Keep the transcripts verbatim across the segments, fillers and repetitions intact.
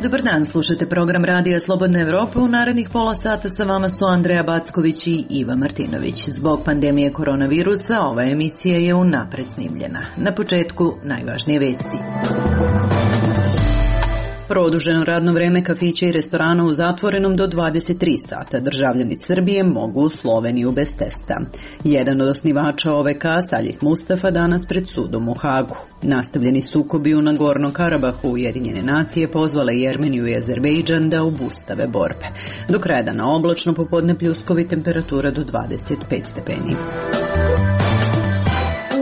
Dobar dan, slušate program Radija Slobodna Evropa. U narednih pola sata sa vama su Andreja Backović i Iva Martinović. Zbog pandemije koronavirusa ova emisija je unapred snimljena. Na početku najvažnije vesti. Produženo radno vreme kafića i restorana u zatvorenom do dvadeset tri sata. Državljani Srbije mogu u Sloveniju bez testa. Jedan od osnivača O V K, Salih Mustafa, danas pred sudom u Hagu. Nastavljeni sukobi u Nagorno Karabahu, Ujedinjene nacije pozvale i Jermeniju i Azerbejdžan da obustave borbe. Do kraja dana oblačno, popodne pljuskovi, temperatura do dvadeset pet stepeni.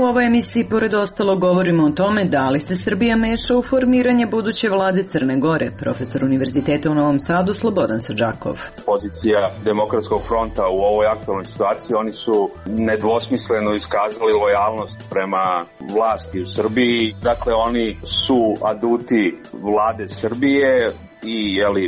U ovoj emisiji, pored ostalo, govorimo o tome da li se Srbija meša u formiranje buduće vlade Crne Gore. Profesor Univerziteta u Novom Sadu Slobodan Srdžakov. Pozicija Demokratskog fronta u ovoj aktualnoj situaciji, oni su nedvosmisleno iskazali lojalnost prema vlasti u Srbiji. Dakle, oni su aduti vlade Srbije i jeli,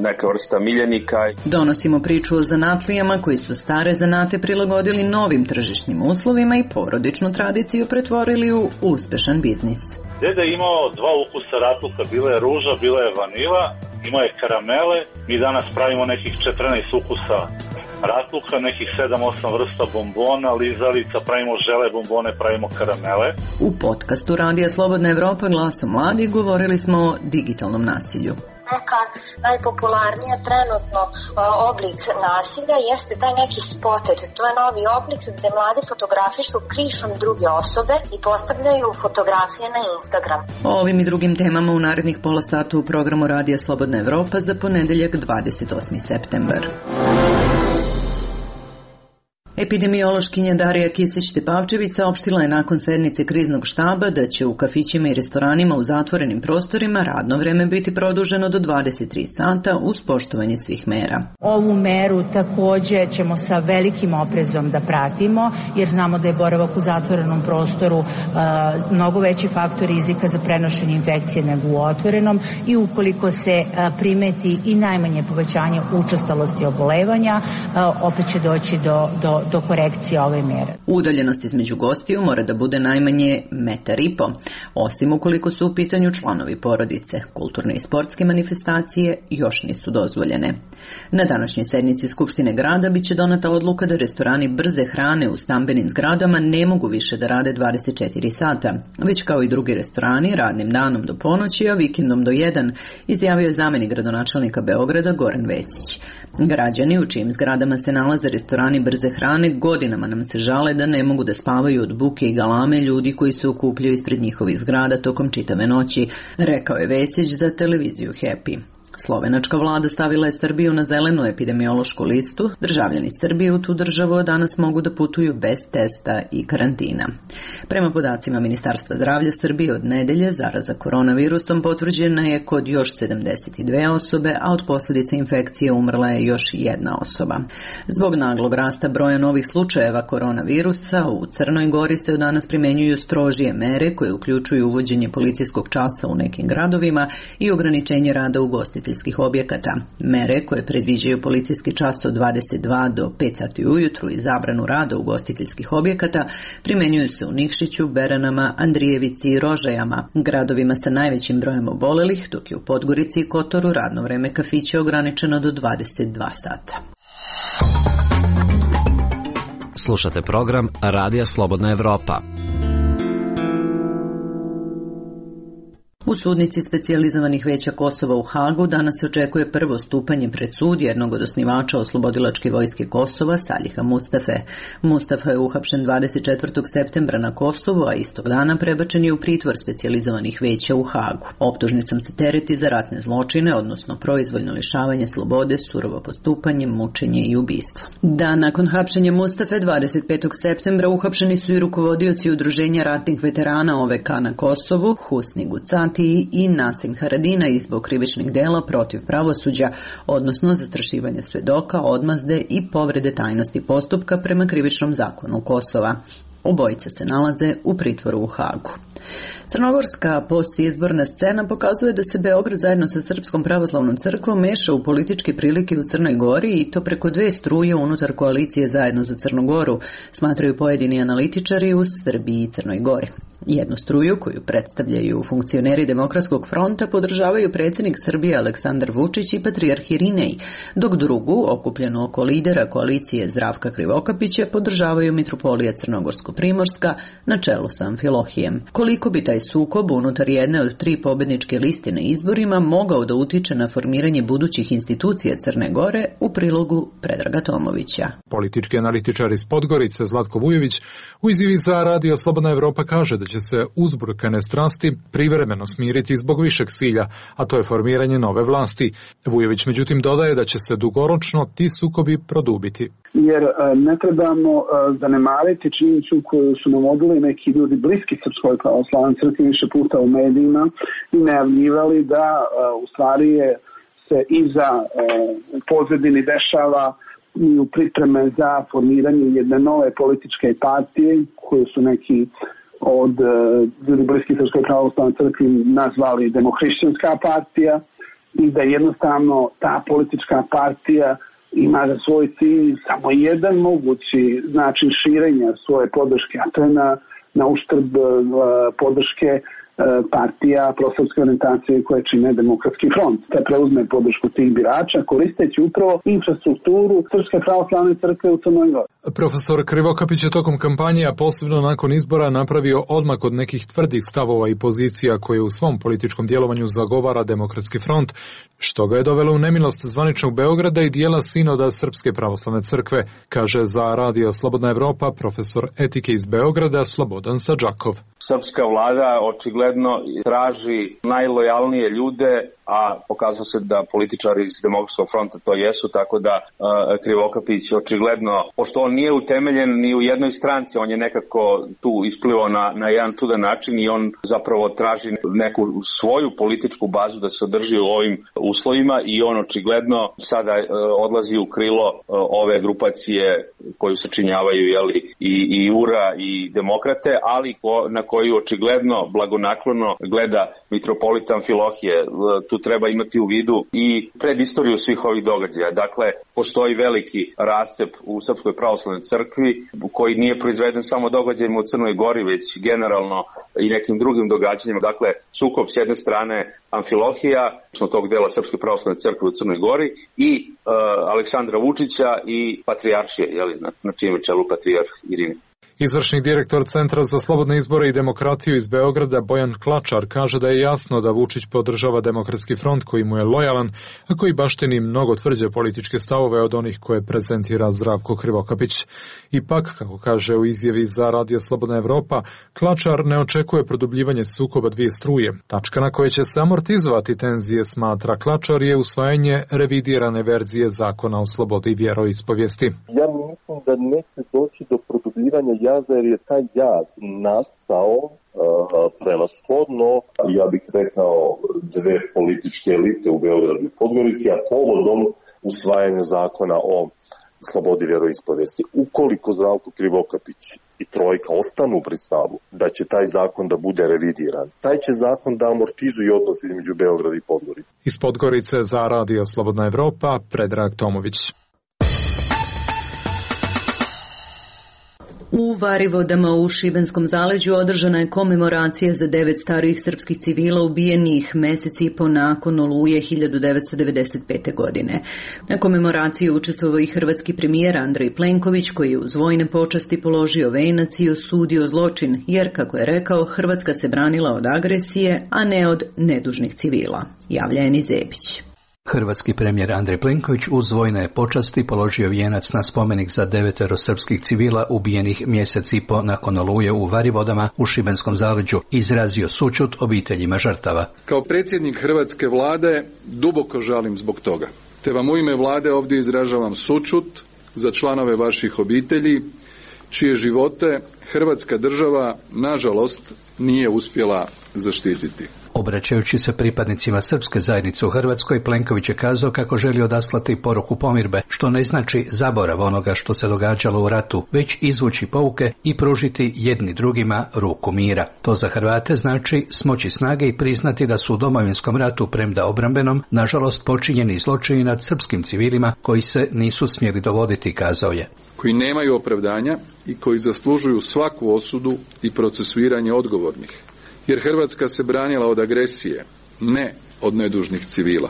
neka vrsta miljenika. Donosimo priču o zanatlijama koji su stare zanate prilagodili novim tržišnim uslovima i porodičnu tradiciju pretvorili u uspešan biznis. Deda je imao dva ukusa ratluka, bila je ruža, bila je vanila, imao je karamele. Mi danas pravimo nekih četrnaest ukusa ratluka, nekih sedam osam vrsta bombona, lizalica, pravimo žele bombone, pravimo karamele. U podcastu Radija Slobodna Evropa glasom mladih govorili smo o digitalnom nasilju. Neka najpopularnija trenutno oblik nasilja jeste taj neki spotted. To je novi oblik gde mladi fotografišu krišom druge osobe i postavljaju fotografije na Instagram. O ovim i drugim temama u narednih pola sata u programu Radija Slobodna Evropa za ponedeljak dvadeset osmi septembar. Epidemiološkinja Darija Kisić-Tepavčević saopštila je nakon sednice kriznog štaba da će u kafićima i restoranima u zatvorenim prostorima radno vreme biti produženo do dvadeset tri sata uz poštovanje svih mera. Ovu meru takođe ćemo sa velikim oprezom da pratimo, jer znamo da je boravak u zatvorenom prostoru uh, mnogo veći faktor rizika za prenošenje infekcije nego u otvorenom i ukoliko se uh, primeti i najmanje povećanje učestalosti obolevanja, uh, opet će doći do, do do korekcije ove mere. Udaljenost između gostiju mora da bude najmanje metar i po, osim ukoliko su u pitanju članovi porodice. Kulturne i sportske manifestacije još nisu dozvoljene. Na današnjoj sednici Skupštine grada biće donata odluka da restorani brze hrane u stambenim zgradama ne mogu više da rade dvadeset četiri sata, već kao i drugi restorani radnim danom do ponoći, a vikendom do jedan, izjavio je zamenik gradonačelnika Beograda Goran Vesić. Građani u čijim zgradama se nalaze restorani brze hrane godinama nam se žale da ne mogu da spavaju od buke i galame ljudi koji se okupljaju ispred njihovih zgrada tokom čitave noći, rekao je Vesić za televiziju Happy. Slovenačka vlada stavila je Srbiju na zelenu epidemiološku listu. Državljani Srbije u tu državu danas mogu da putuju bez testa i karantina. Prema podacima Ministarstva zdravlja Srbije od nedelje zaraza koronavirusom potvrđena je kod još sedamdeset dve osobe, a od posljedica infekcije umrla je još jedna osoba. Zbog naglog rasta broja novih slučajeva koronavirusa u Crnoj Gori se od danas primenjuju strožije mere koje uključuju uvođenje policijskog časa u nekim gradovima i ograničenje rada ugostiteljskih objekata. Mere koje predviđaju policijski čas od dvadeset dva do pet sati ujutru i zabranu rada ugostiteljskih objekata primenjuju se u Nikšiću, Beranama, Andrijevici i Rožajama, gradovima sa najvećim brojem obolelih, dok je u Podgorici i Kotoru radno vreme kafića ograničeno do dvadeset dva sata. Slušate program Radija Slobodna Evropa. U sudnici specijalizovanih veća Kosova u Hagu danas se očekuje prvo stupanje pred sud jednog od osnivača Oslobodilačke vojske Kosova, Saliha Mustafe. Mustafa je uhapšen dvadeset četvrtog septembra na Kosovu, a istog dana prebačen je u pritvor specijalizovanih veća u Hagu. Optužnicom se tereti za ratne zločine, odnosno proizvoljno lišavanje slobode, surovo postupanje, mučenje i ubistvo. Dan nakon hapšenja Mustafe, dvadeset petog septembra, uhapšeni su i rukovodioci udruženja ratnih veterana O V K na Kosovu, Husni Gucati i Nasim Haradinaj zbog krivičnih dela protiv pravosuđa, odnosno zastrašivanja svedoka, odmazde i povrede tajnosti postupka prema krivičnom zakonu Kosova. Obojica se nalaze u pritvoru u Hagu. Crnogorska postizborna scena pokazuje da se Beograd zajedno sa Srpskom pravoslavnom crkvom meša u političke prilike u Crnoj Gori i to preko dve struje unutar koalicije Zajedno za Crnu Goru, smatraju pojedini analitičari u Srbiji i Crnoj Gori. Jednu struju koju predstavljaju funkcioneri Demokratskog fronta podržavaju predsjednik Srbije Aleksandar Vučić i patrijarh Irinej, dok drugu, okupljenu oko lidera koalicije Zdravka Krivokapića, podržavaju mitropolija Crnogorsko-Primorska na čelu sa Amfilohijem. Koliko bi taj sukob unutar jedne od tri pobedničke liste na izborima mogao da utiče na formiranje budućih institucija Crne Gore, u prilogu Predraga Tomovića. Politički analitičar iz Podgorice Zlatko Vujović u izjavi za Radio Slobodna Evropa kaže da će se uzburkane strasti privremeno smiriti zbog višeg cilja, a to je formiranje nove vlasti. Vujović međutim dodaje da će se dugoročno ti sukobi produbiti. Jer ne trebamo zanemariti činjenicu koju su navodili neki ljudi bliski Srpskoj pravoslavnoj crkvi više puta u medijima i najavljivali da u stvari je se iza u pozadini dešava i u pripreme za formiranje jedne nove političke partije koju su neki od ljudi bliskih Srpskoj pravoslavnoj crkvi nazvali Demohrišćanska partija i da jednostavno ta politička partija ima za svoj cilj samo jedan mogući način širenja svoje podrške, a to je na, na uštrb podrške partija prosrpske orijentacije koje čine Demokratski front. Te preuzme podršku tih birača koristeći upravo infrastrukturu Srpske pravoslavne crkve u Crnoj Gori. Profesor Krivokapić je tokom kampanje, a posebno nakon izbora, napravio odmak od nekih tvrdih stavova i pozicija koje u svom političkom djelovanju zagovara Demokratski front, što ga je dovelo u nemilost zvaničnog Beograda i dijela sinoda Srpske pravoslavne crkve, kaže za Radio Slobodna Evropa profesor etike iz Beograda Slobodan Sadžakov. Srpska vlada očigledno traži najlojalnije ljude, a pokazalo se da političari iz Demokratskog fronta to jesu, tako da uh, Krivokapić očigledno, pošto on nije utemeljen ni u jednoj stranci, on je nekako tu isplivao na, na jedan čudan način i on zapravo traži neku svoju političku bazu da se održi u ovim uslovima i on očigledno sada uh, odlazi u krilo uh, ove grupacije koju sačinjavaju jeli, i, i U R A i demokrate, ali ko, na koju očigledno blagonaklono gleda mitropolita Amfilohije. Tu treba imati u vidu i predistoriju svih ovih događaja. Dakle, postoji veliki rascep u Srpskoj pravoslavnoj crkvi koji nije proizveden samo događajima u Crnoj Gori, već generalno i nekim drugim događanjima. Dakle, sukob s jedne strane Amfilohija, što tog dela Srpske pravoslavne crkve u Crnoj Gori i uh, Aleksandra Vučića i patrijaršije, jeli, na, na čijem je čelu patrijarh Irinej. Izvršni direktor Centra za slobodne izbore i demokratiju iz Beograda Bojan Klačar kaže da je jasno da Vučić podržava Demokratski front koji mu je lojalan, a koji baštini mnogo tvrđe političke stavove od onih koje prezentira Zdravko Krivokapić. Ipak, kako kaže u izjavi za Radio Slobodna Evropa, Klačar ne očekuje produbljivanje sukoba dvije struje. Tačka na koje će se amortizovati tenzije, smatra Klačar, je usvajanje revidirane verzije zakona o slobodi vjeroispovijesti. Ja mislim da neće doći do produbljivanja jaza jer je taj jaz nastao uh, prevashodno, ja bih rekao, dve političke elite u Beogradu i Podgorici, a povodom usvajanja zakona o slobodi vjeroispovijesti. Ukoliko Zdravko Krivokapić i trojka ostanu pri stavu da će taj zakon da bude revidiran, taj će zakon da amortizuje odnos između Beograda i Podgorice. Iz Podgorice za Radio Slobodna Evropa, Predrag Tomović. U Varivodama u Šibenskom zaleđu održana je komemoracija za devet starijih srpskih civila ubijenih mesec i po nakon Oluje hiljadu devetsto devedeset pete. godine. Na komemoraciji učestvovao i hrvatski premijer Andrej Plenković, koji je uz vojne počasti položio venac i osudio zločin, jer, kako je rekao, Hrvatska se branila od agresije, a ne od nedužnih civila. Javlja Eni Zebić. Hrvatski premijer Andrej Plenković uz vojne počasti položio vijenac na spomenik za devetero srpskih civila ubijenih mjesec i po nakon Oluje u Varivodama u Šibenskom zaleđu, izrazio sućut obiteljima žrtava. Kao predsjednik hrvatske vlade duboko žalim zbog toga, te vam u ime vlade ovdje izražavam sućut za članove vaših obitelji, čije živote Hrvatska država, nažalost, nije uspjela zaštititi. Obraćajući se pripadnicima srpske zajednice u Hrvatskoj, Plenković je kazao kako želi odaslati poruku pomirbe, što ne znači zaborav onoga što se događalo u ratu, već izvući pouke i pružiti jedni drugima ruku mira. To za Hrvate znači smoći snage i priznati da su u Domovinskom ratu, premda obrambenom, nažalost počinjeni zločini nad srpskim civilima koji se nisu smjeli dogoditi, kazao je. koji nemaju opravdanja i koji zaslužuju svaku osudu i procesuiranje odgovornih. Jer Hrvatska se branila od agresije, ne od nedužnih civila.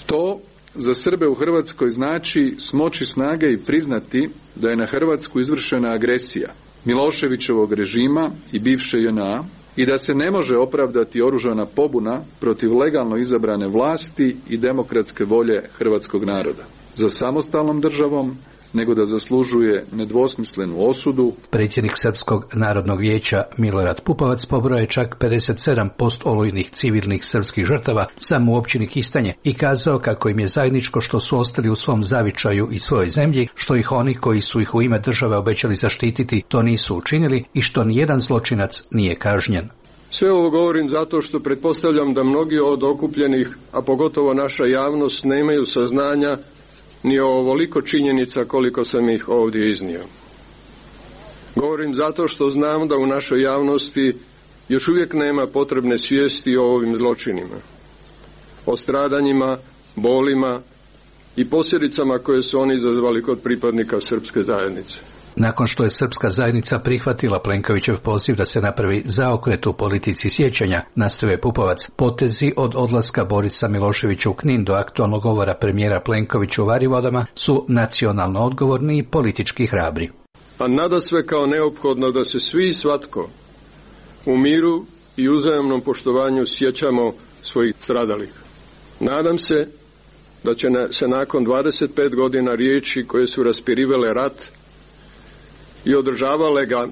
To za Srbe u Hrvatskoj znači smoći snage i priznati da je na Hrvatsku izvršena agresija Miloševićevog režima i bivše J N A i da se ne može opravdati oružana pobuna protiv legalno izabrane vlasti i demokratske volje hrvatskog naroda. Za samostalnom državom, nego da zaslužuje nedvosmislenu osudu. Predsjednik Srpskog narodnog vijeća Milorad Pupovac pobrojao je čak pedeset sedam posto olujnih civilnih srpskih žrtava samo u općini Kistanje i kazao kako im je zajedničko što su ostali u svom zavičaju i svojoj zemlji, što ih oni koji su ih u ime države obećali zaštititi to nisu učinili i što nijedan zločinac nije kažnjen. Sve ovo govorim zato što pretpostavljam da mnogi od okupljenih, a pogotovo naša javnost, nemaju saznanja ni o ovoliko činjenica koliko sam ih ovdje iznio. Govorim zato što znam da u našoj javnosti još uvijek nema potrebne svijesti o ovim zločinima, o stradanjima, bolima i posljedicama koje su oni izazvali kod pripadnika srpske zajednice. Nakon što je srpska zajednica prihvatila Plenkovićev poziv da se napravi zaokret u politici sjećanja, nastavio je Pupovac, potezi od odlaska Borisa Miloševića u Knin do aktualnog govora premijera Plenkovića u Varivodama su nacionalno odgovorni i politički hrabri. A nadasve kao neophodno da se svi i svatko u miru i uzajamnom poštovanju sjećamo svojih stradalih. Nadam se da će se nakon dvadeset pet godina riječi koje su raspirivale rat i održavale ga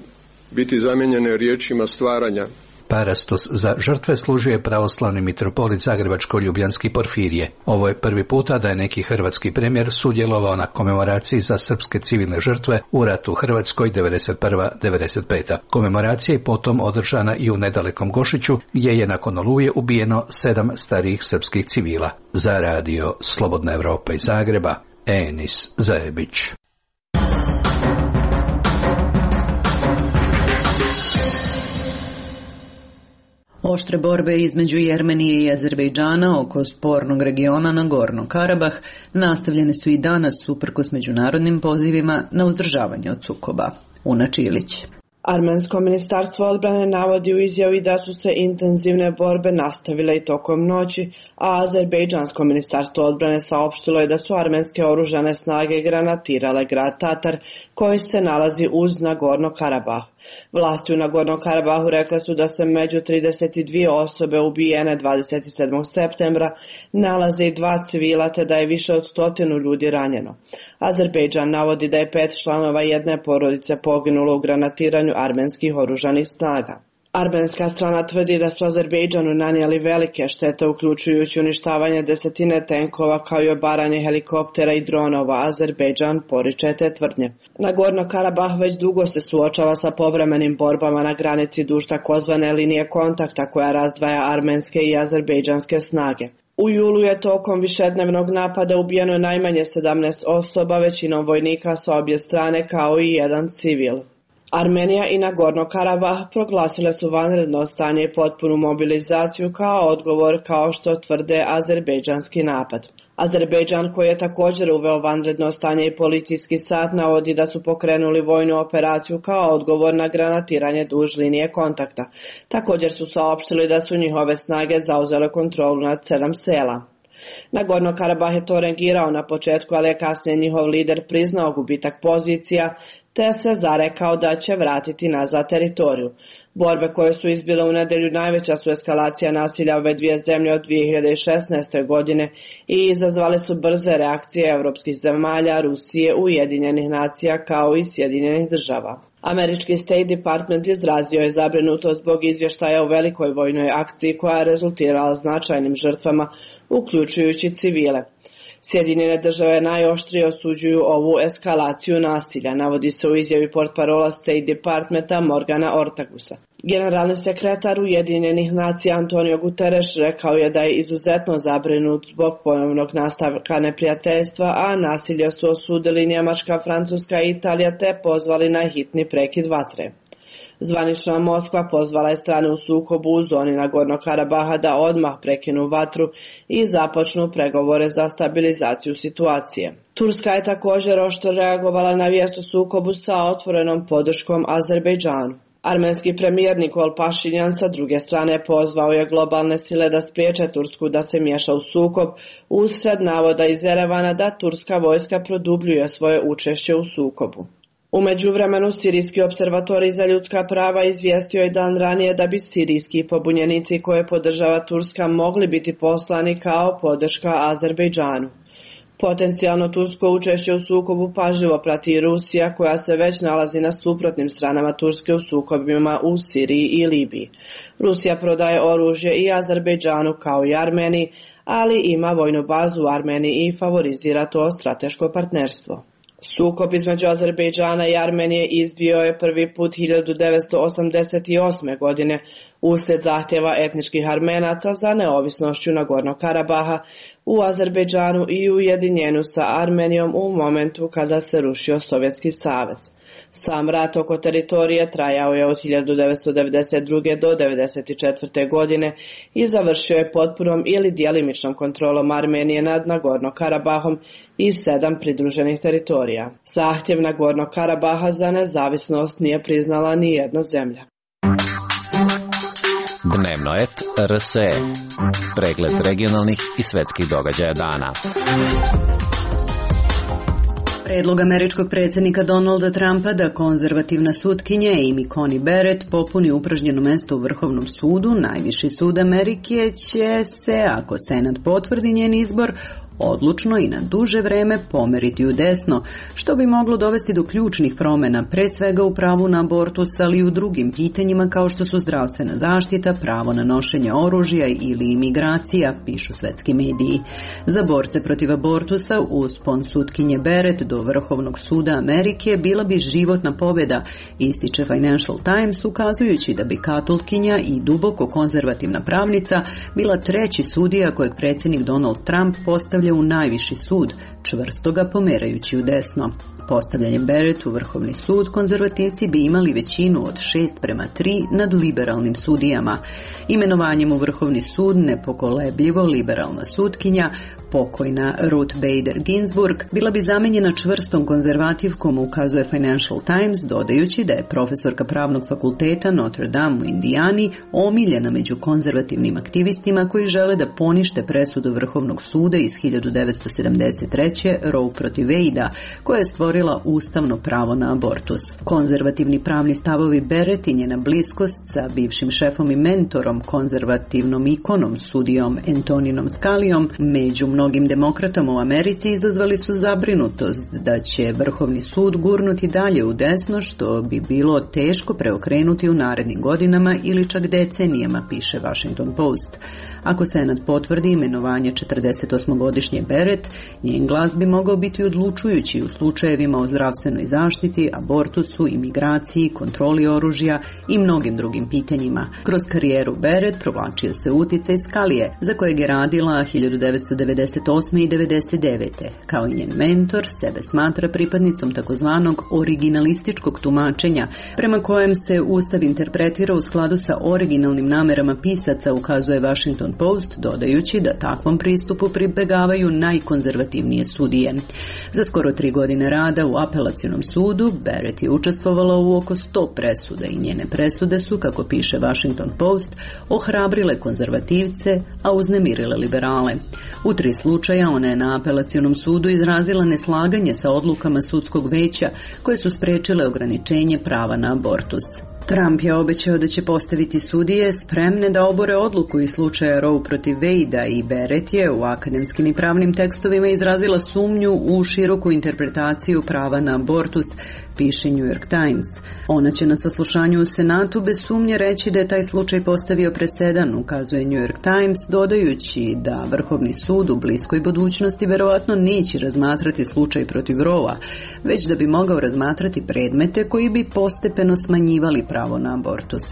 biti zamijenjene riječima stvaranja. Parastos za žrtve služio je pravoslavni mitropolit Zagrebačko-Ljubljanski Porfirije. Ovo je prvi puta da je neki hrvatski premijer sudjelovao na komemoraciji za srpske civilne žrtve u ratu u Hrvatskoj devedeset prva do devedeset peta. Komemoracija je potom održana i u nedalekom Gošiću, gdje je nakon Oluje ubijeno sedam starijih srpskih civila. Za radio Slobodna Evropa iz Zagreba, Enis Zajebić. Oštre borbe između Jermenije i Azerbejdžana oko spornog regiona Nagorno Karabah nastavljene su i danas uprkos međunarodnim pozivima na uzdržavanje od sukoba. Una Čilić. Armensko ministarstvo odbrane navodi u izjavi da su se intenzivne borbe nastavile i tokom noći, a Azerbejdžansko ministarstvo odbrane saopštilo je da su armenske oružane snage granatirale grad Tatar koji se nalazi uz Nagorno Karabah. Vlasti u Nagorno Karabahu rekle su da se među trideset dvije osobe ubijene dvadeset sedmog septembra nalaze i dva civila te da je više od stotinu ljudi ranjeno. Azerbejdžan navodi da je pet članova jedne porodice poginulo u granatiranju armenskih oružanih snaga. Armenska strana tvrdi da su Azerbejdžanu nanijeli velike štete uključujući uništavanje desetine tenkova kao i obaranje helikoptera i dronova. Azerbejdžan poriče te tvrdnje. Nagorno Karabah već dugo se suočava sa povremenim borbama na granici duž takozvane linije kontakta koja razdvaja armenske i azerbejdžanske snage. U julu je tokom višednevnog napada ubijeno najmanje sedamnaest osoba, većinom vojnika sa obje strane kao i jedan civil. Armenija i Nagorno Karabah proglasile su vanredno stanje i potpunu mobilizaciju kao odgovor, kao što tvrde azerbejdžanski napad. Azerbejdžan, koji je također uveo vanredno stanje i policijski sat, navodi da su pokrenuli vojnu operaciju kao odgovor na granatiranje duž linije kontakta. Također su saopštili da su njihove snage zauzele kontrolu nad sedam sela. Nagorno Karabah je to reagirao na početku, ali je kasnije njihov lider priznao gubitak pozicija te se zarekao da će vratiti nazad teritoriju. Borbe koje su izbile u nedjelju najveća su eskalacija nasilja ove dvije zemlje od dvije hiljade šesnaeste. godine i izazvale su brze reakcije evropskih zemalja, Rusije, Ujedinjenih nacija kao i Sjedinjenih država. Američki State Department izrazio je zabrinutost zbog izvještaja o velikoj vojnoj akciji koja je rezultirala značajnim žrtvama, uključujući civile. Sjedinjene države najoštrije osuđuju ovu eskalaciju nasilja, navodi se u izjavi portparola State Departmenta Morgana Ortagusa. Generalni sekretar Ujedinjenih nacija Antonio Guterres rekao je da je izuzetno zabrinut zbog ponovnog nastavka neprijateljstva, a nasilje su osudili Njemačka, Francuska i Italija te pozvali na hitni prekid vatre. Zvanična Moskva pozvala je strane u sukobu u zoni Nagornog Karabaha da odmah prekinu vatru i započnu pregovore za stabilizaciju situacije. Turska je također oštro reagovala na vijest o sukobu sa otvorenom podrškom Azerbejdžanu. Armenski premijer Nikol Pašinjan sa druge strane pozvao je globalne sile da spriječe Tursku da se miješa u sukob usred navoda iz Erevana da turska vojska produbljuje svoje učešće u sukobu. U međuvremenu, Sirijski observatorij za ljudska prava izvijestio je dan ranije da bi sirijski pobunjenici koje podržava Turska mogli biti poslani kao podrška Azerbejdžanu. Potencijalno tursko učešće u sukobu pažljivo prati i Rusija, koja se već nalazi na suprotnim stranama Turske u sukobima u Siriji i Libiji. Rusija prodaje oružje i Azerbejdžanu kao i Armeniji, ali ima vojnu bazu u Armeniji i favorizira to strateško partnerstvo. Sukob između Azerbejdžana i Armenije izbio je prvi put hiljadu devetsto osamdeset osme. godine uslijed zahtjeva etničkih Armenaca za neovisnošću Nagornog Karabaha u Azerbejdžanu i ujedinjenju sa Armenijom u momentu kada se rušio Sovjetski savez. Sam rat oko teritorije trajao je od hiljadu devetsto devedeset druge. do devedeset četvrte. godine i završio je potpunom ili djelimičnom kontrolom Armenije nad Nagornog Karabahom i sedam pridruženih teritorija. Zahtjev Nagornog Karabaha za nezavisnost nije priznala ni jedna zemlja. Dnevno et R S E. Pregled regionalnih i svetskih događaja dana. Predlog američkog predsjednika Donalda Trumpa da konzervativna sutkinja Amy Coney Barrett popuni upražnjeno mjesto u Vrhovnom sudu, najviši sud Amerike će se, ako Senat potvrdi njen izbor, odlučno i na duže vreme pomeriti u desno, što bi moglo dovesti do ključnih promjena, pre svega u pravu na abortus, ali i u drugim pitanjima kao što su zdravstvena zaštita, pravo na nošenje oružja ili imigracija, pišu svetski mediji. Za borce protiv abortusa uspon sutkinje Barrett do Vrhovnog suda Amerike bila bi životna pobjeda, ističe Financial Times, ukazujući da bi katolkinja i duboko konzervativna pravnica bila treći sudija kojeg predsjednik Donald Trump postavlja u najviši sud, čvrsto ga pomerajući u desno. Postavljanjem Barrett u Vrhovni sud konzervativci bi imali većinu od šest prema tri nad liberalnim sudijama. Imenovanjem u Vrhovni sud nepokolebljivo liberalna sutkinja, pokojna Ruth Bader Ginsburg, bila bi zamenjena čvrstom konzervativkom, ukazuje Financial Times, dodajući da je profesorka pravnog fakulteta Notre Dame u Indijani omiljena među konzervativnim aktivistima koji žele da ponište presudu Vrhovnog suda iz hiljadu devetsto sedamdeset treće. Roe protiv Wade-a, koja je stvorila ustavno pravo na abortus. Konzervativni pravni stavovi Barrett i njena bliskost sa bivšim šefom i mentorom, konzervativnom ikonom, sudijom Antoninom Scalijom, među mnogim demokratama u Americi izazvali su zabrinutost da će Vrhovni sud gurnuti dalje u desno, što bi bilo teško preokrenuti u narednim godinama ili čak decenijama, piše Washington Post. Ako Senat potvrdi imenovanje četrdesetosmogodišnje Barrett, njen glas bi mogao biti odlučujući u slučajevima o zdravstvenoj zaštiti, abortusu, imigraciji, kontroli oružja i mnogim drugim pitanjima. Kroz karijeru Barrett provlačio se uticaj Scalije, za kojeg je radila hiljadu devetsto devedeset osme. i devedeset devete. Kao i njen mentor, sebe smatra pripadnicom takozvanog originalističkog tumačenja, prema kojem se Ustav interpretira u skladu sa originalnim namerama pisaca, ukazuje Washington Post, dodajući da takvom pristupu pribegavaju najkonzervativnije sudije. Za skoro tri godine rada u apelacionom sudu, Barrett je učestvovala u oko sto presuda i njene presude su, kako piše Washington Post, ohrabrile konzervativce, a uznemirile liberale. U tri slučaja ona je na apelacionom sudu izrazila neslaganje sa odlukama sudskog veća koje su sprečile ograničenje prava na abortus. Trump je obećao da će postaviti sudije spremne da obore odluku iz slučaja Roe protiv Wade-a i Barrett je u akademskim i pravnim tekstovima izrazila sumnju u široku interpretaciju prava na abortus, piše New York Times. Ona će na saslušanju u Senatu bez sumnje reći da je taj slučaj postavio presedan, ukazuje New York Times, dodajući da Vrhovni sud u bliskoj budućnosti verovatno neće razmatrati slučaj protiv Roe-a, već da bi mogao razmatrati predmete koji bi postepeno smanjivali prava pravo na abortus.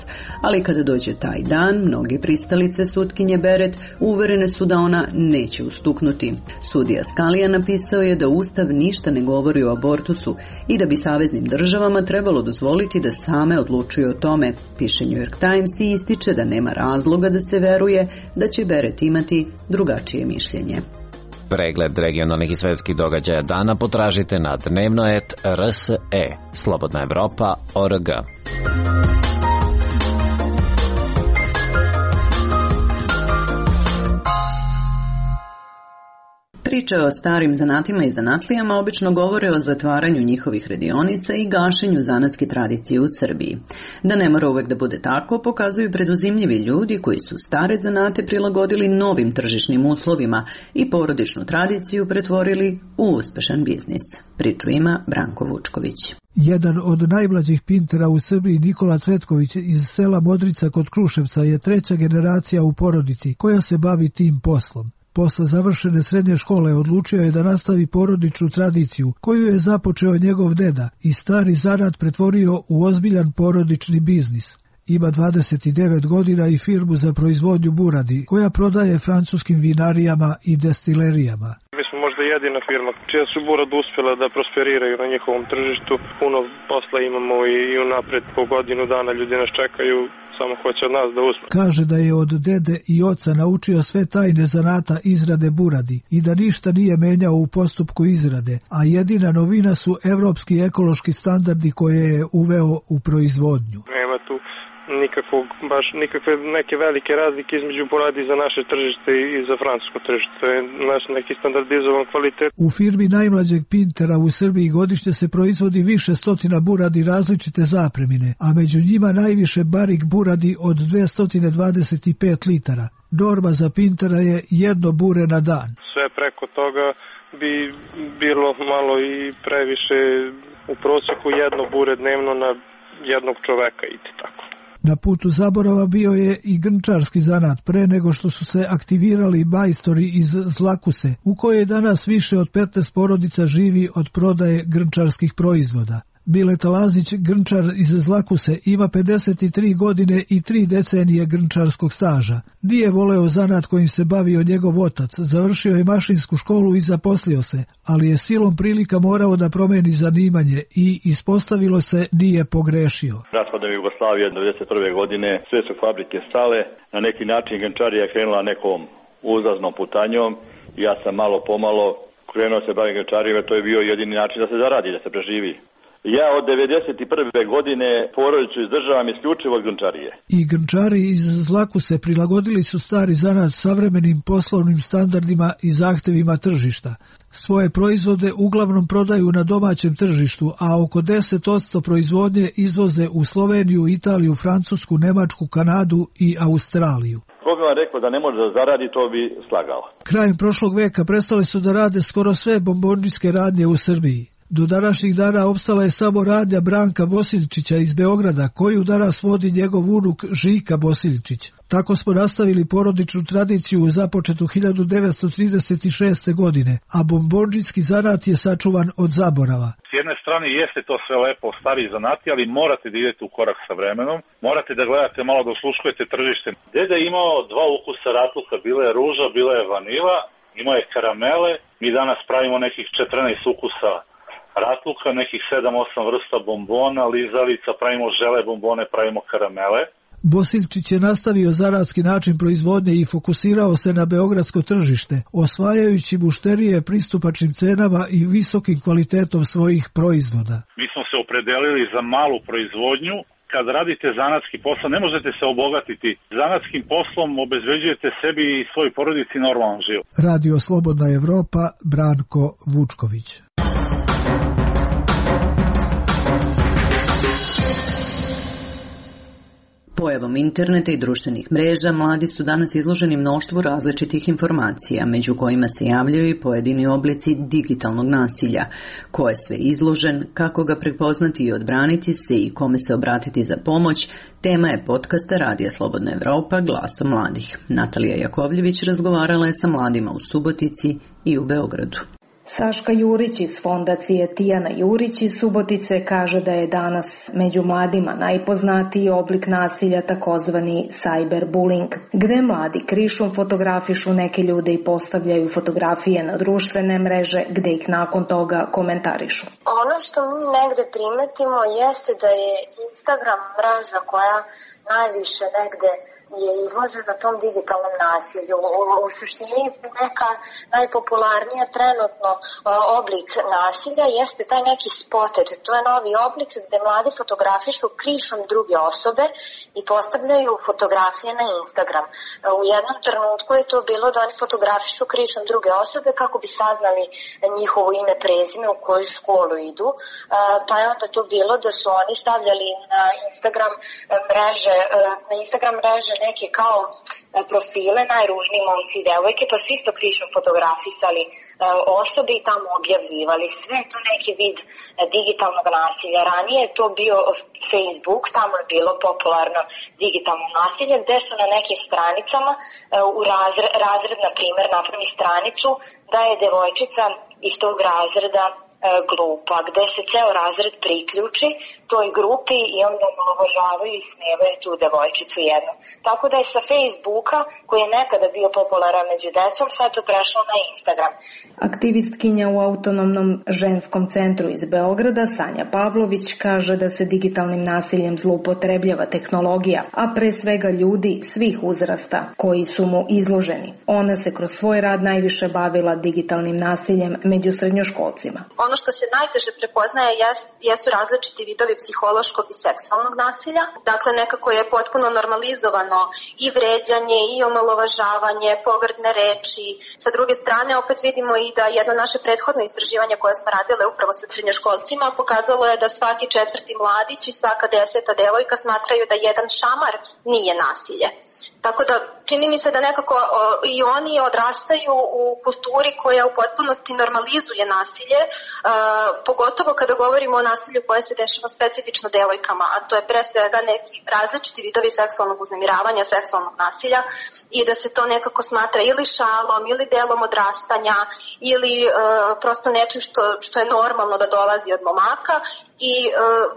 Ali kada dođe taj dan, mnogi pristalice sutkinje Beret uverene su da ona neće ustuknuti. Sudija Scalia napisao je da Ustav ništa ne govori o abortusu i da bi saveznim državama trebalo dozvoliti da same odlučuju o tome. Piše New York Times i ističe da nema razloga da se veruje da će Beret imati drugačije mišljenje. Pregled regionalnih i svetskih događaja dana potražite na dnevnoet R S E, Slobodna Evropa, O R G. Priče o starim zanatima i zanatlijama obično govore o zatvaranju njihovih radionica i gašenju zanatske tradicije u Srbiji. Da ne mora uvek da bude tako, pokazuju preduzimljivi ljudi koji su stare zanate prilagodili novim tržišnim uslovima i porodičnu tradiciju pretvorili u uspešan biznis. Priču ima Branko Vučković. Jedan od najmlađih pintera u Srbiji, Nikola Cvetković iz sela Modrica kod Kruševca, je treća generacija u porodici koja se bavi tim poslom. Posle završene srednje škole odlučio je da nastavi porodičnu tradiciju koju je započeo njegov deda i stari zanat pretvorio u ozbiljan porodični biznis. Ima dvadeset devet godina i firmu za proizvodnju buradi koja prodaje francuskim vinarijama i destilerijama. Mi smo možda jedina firma čija su burad uspjela da prosperiraju na njihovom tržištu. Puno posla imamo i unapred po godinu dana ljudi nas čekaju. Samo hoće od nas da uspe. Kaže da je od dede i oca naučio sve tajne zanata izrade buradi i da ništa nije menjao u postupku izrade, a jedina novina su evropski ekološki standardi koje je uveo u proizvodnju. Nema tu nikakvog, baš nikakve neke velike razlike između buradi za naše tržište i za francusko tržište. To je naš neki standardizovan kvalitet. U firmi najmlađeg pintera u Srbiji godišnje se proizvodi više stotina buradi različite zapremine, a među njima najviše barik buradi od dvesta dvadeset pet litara. Norma za pintera je jedno bure na dan. Sve preko toga bi bilo malo i previše, u prosjeku jedno bure dnevno na jednog čoveka i tako. Na putu zaborava bio je i grnčarski zanat pre nego što su se aktivirali majstori iz Zlakuse, u kojoj danas više od petnaest porodica živi od prodaje grnčarskih proizvoda. Bileta Lazić, grnčar iz Zlakuse, ima pedeset tri godine i tri decenije grnčarskog staža. Nije voleo zanat kojim se bavio njegov otac, završio je mašinsku školu i zaposlio se, ali je silom prilika morao da promeni zanimanje i ispostavilo se nije pogrešio. Raspadom Jugoslavije devedeset prve godine sve su fabrike stale, na neki način grnčarija je krenula nekom uzlaznom putanjom. Ja sam malo pomalo krenuo se baviti grnčarijom, to je bio jedini način da se zaradi, da se preživi. Ja od devedeset prve godine porodicu izdržavam isključivo od grnčarije. I grnčari iz Zlakuse prilagodili su stari zanat savremenim poslovnim standardima i zahtevima tržišta. Svoje proizvode uglavnom prodaju na domaćem tržištu, a oko deset posto proizvodnje izvoze u Sloveniju, Italiju, Francusku, Nemačku, Kanadu i Australiju. Ko bi vam rekao da ne može da zaradi, to bi slagao. Krajem prošlog veka prestali su da rade skoro sve bombondžijske radnje u Srbiji. Do današnjih dana opstala je samo radnja Branka Bosiljčića iz Beograda, koju danas vodi njegov unuk Žika Bosiljčić. Tako smo nastavili porodičnu tradiciju započetu hiljadu devetsto trideset šeste. godine, a bombondžijski zanat je sačuvan od zaborava. S jedne strane jeste to sve lepo, stari zanati, ali morate da idete u korak sa vremenom, morate da gledate malo, da osluškujete tržište. Deda je imao dva ukusa ratluka, bila je ruža, bila je vanila, imao je karamele, mi danas pravimo nekih četrnaest ukusa ratluka, nekih sedam osam vrsta bombona, lizalica, pravimo žele bombone, pravimo karamele. Bosiljčić je nastavio zanatski način proizvodnje i fokusirao se na beogradsko tržište, osvajajući mušterije pristupačnim cenama i visokim kvalitetom svojih proizvoda. Mi smo se opredelili za malu proizvodnju. Kad radite zanatski posao, ne možete se obogatiti. Zanatskim poslom obezbeđujete sebi i svoj porodici normalan život. Radio Slobodna Evropa, Branko Vučković. Pojavom interneta i društvenih mreža mladi su danas izloženi mnoštvu različitih informacija, među kojima se javljaju i pojedini oblici digitalnog nasilja. Ko je sve izložen, kako ga prepoznati i odbraniti se i kome se obratiti za pomoć, tema je podcasta Radija Slobodna Evropa Glasom mladih. Natalija Jakovljević razgovarala je sa mladima u Subotici i u Beogradu. Saška Jurić iz fondacije Tijana Jurić iz Subotice kaže da je danas među mladima najpoznatiji oblik nasilja takozvani cyberbullying, gde mladi krišom fotografišu neke ljude i postavljaju fotografije na društvene mreže gde ih nakon toga komentarišu. Ono što mi negde primetimo jeste da je Instagram mreža koja najviše negde je izložena tom digitalnom nasilju. U, u suštini neka najpopularnija trenutno oblik nasilja jeste taj neki spotted. To je novi oblik gde mladi fotografišu krišom druge osobe i postavljaju fotografije na Instagram. U jednom trenutku je to bilo da oni fotografišu krišom druge osobe kako bi saznali njihovo ime, prezime, u koju školu idu. Pa je onda to bilo da su oni stavljali na Instagram mreže, na Instagram mreže neke kao profile, najružniji momci i devojke, pa su isto krišom fotografisali osobe i tamo objavljivali. Sve to neki vid digitalnog nasilja. Ranije je to bio Facebook, tamo je bilo popularno digitalno nasilje, gde su na nekim stranicama u razred, razred na primjer, napravi stranicu da je devojčica iz tog razreda glupa, gde se ceo razred priključi toj grupi i onda omalovažavaju i smevaju tu devojčicu jednu. Tako da je sa Facebooka, koji je nekada bio popularan među decom, sad to prešlo na Instagram. Aktivistkinja u Autonomnom ženskom centru iz Beograda, Sanja Pavlović, kaže da se digitalnim nasiljem zloupotrebljava tehnologija, a pre svega ljudi svih uzrasta koji su mu izloženi. Ona se kroz svoj rad najviše bavila digitalnim nasiljem među srednjoškolcima. Ono što se najteže prepoznaje jesu različiti vidovi psihološkog i seksualnog nasilja. Dakle, nekako je potpuno normalizovano i vređanje i omalovažavanje, pogrdne reči. Sa druge strane, opet vidimo i da jedno naše prethodno istraživanje koje smo radile upravo sa srednjoškolcima pokazalo je da svaki četvrti mladić i svaka deseta devojka smatraju da jedan šamar nije nasilje. Tako da čini mi se da nekako o, i oni odrastaju u kulturi koja u potpunosti normalizuje nasilje, a, pogotovo kada govorimo o nasilju koje se dešava specifično devojkama, a to je pre svega neki različiti vidovi seksualnog uznemiravanja, seksualnog nasilja i da se to nekako smatra ili šalom ili delom odrastanja ili a, prosto nečim što, što je normalno da dolazi od momaka i a,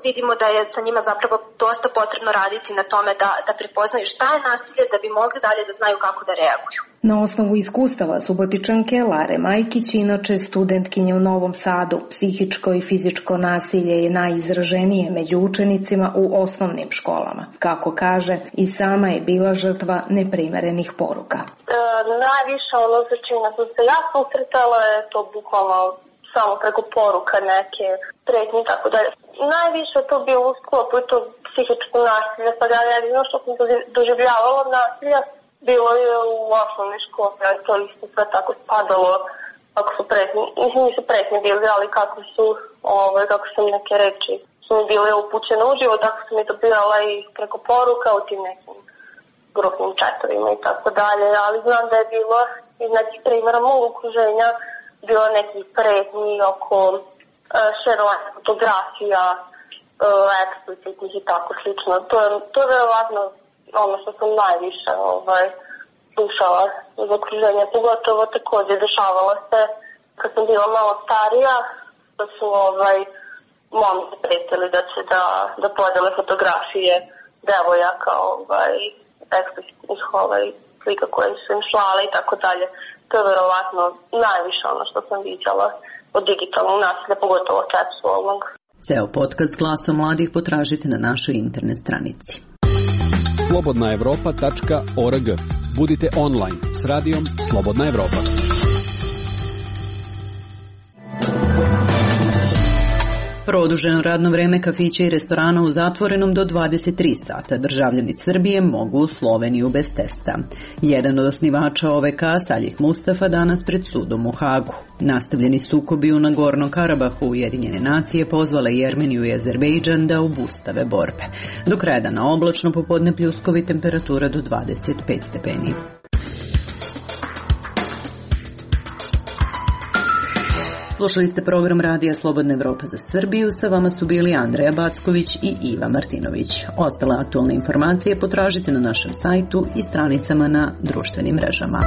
vidimo da je sa njima zapravo dosta potrebno raditi na tome da, da prepoznaju šta je nasilje, da bi mogli dalje da znaju kako da reaguju. Na osnovu iskustava Subotičanke Lare Majkić, inače studentkinje u Novom Sadu, psihičko i fizičko nasilje je najizraženije među učenicima u osnovnim školama. Kako kaže, i sama je bila žrtva neprimerenih poruka. E, najviše ono za čime sam se ja susretala je to bukvalno samo preko poruka neke pretnje i tako dalje. Najviše to bilo u sklopu i to psihičko nasilje, pa da jedino što sam doživljavala nasilja bilo je u osnovnoj školi, ali to isto sve tako spadalo, ako su pretnje, mislim nisu pretnje bili, ali kako su, ovaj, kako sam neke reči su mi bile upućene uživo, tako sam mi dobijala i preko poruka u tim nekim grupnim chatovima i tako dalje, ali znam da je bilo iz nekih primjera mog okruženja bilo nekih pretnji oko uh, šerovanja fotografija, uh, eksplicitnih i tako slično. To je, to je verovatno ono što sam najviše ovaj, slušala iz okruženja, pogotovo također dešavalo se kad sam bila malo starija, da su ovaj, momci pretili da će da, da podele fotografije devojaka, ovaj, eksplicitnih ovaj, slika koje su im slale i tako dalje. To je verovatno najviše ono što sam viđala od digitalnog nasilja, pogotovo seksualnog. Ceo podcast Glasom mladih potražite na našoj internet stranici. slobodna evropa tačka org. Budite online s radijom Slobodna Evropa. Produženo radno vreme kafića i restorana u zatvorenom do dvadeset tri sata. Državljani Srbije mogu u Sloveniju bez testa. Jedan od osnivača O V K, Saljih Mustafa, danas pred sudom u Hagu. Nastavljeni sukobi u Nagornom Karabahu, Ujedinjene nacije pozvale i Jermeniju i Azerbejdžan da obustave borbe. Do kraja dana oblačno, popodne pljuskovi, temperatura do dvadeset pet stepeni. Slušali ste program Radija Slobodna Evropa za Srbiju. Sa vama su bili Andreja Backović i Iva Martinović. Ostale aktualne informacije potražite na našem sajtu i stranicama na društvenim mrežama.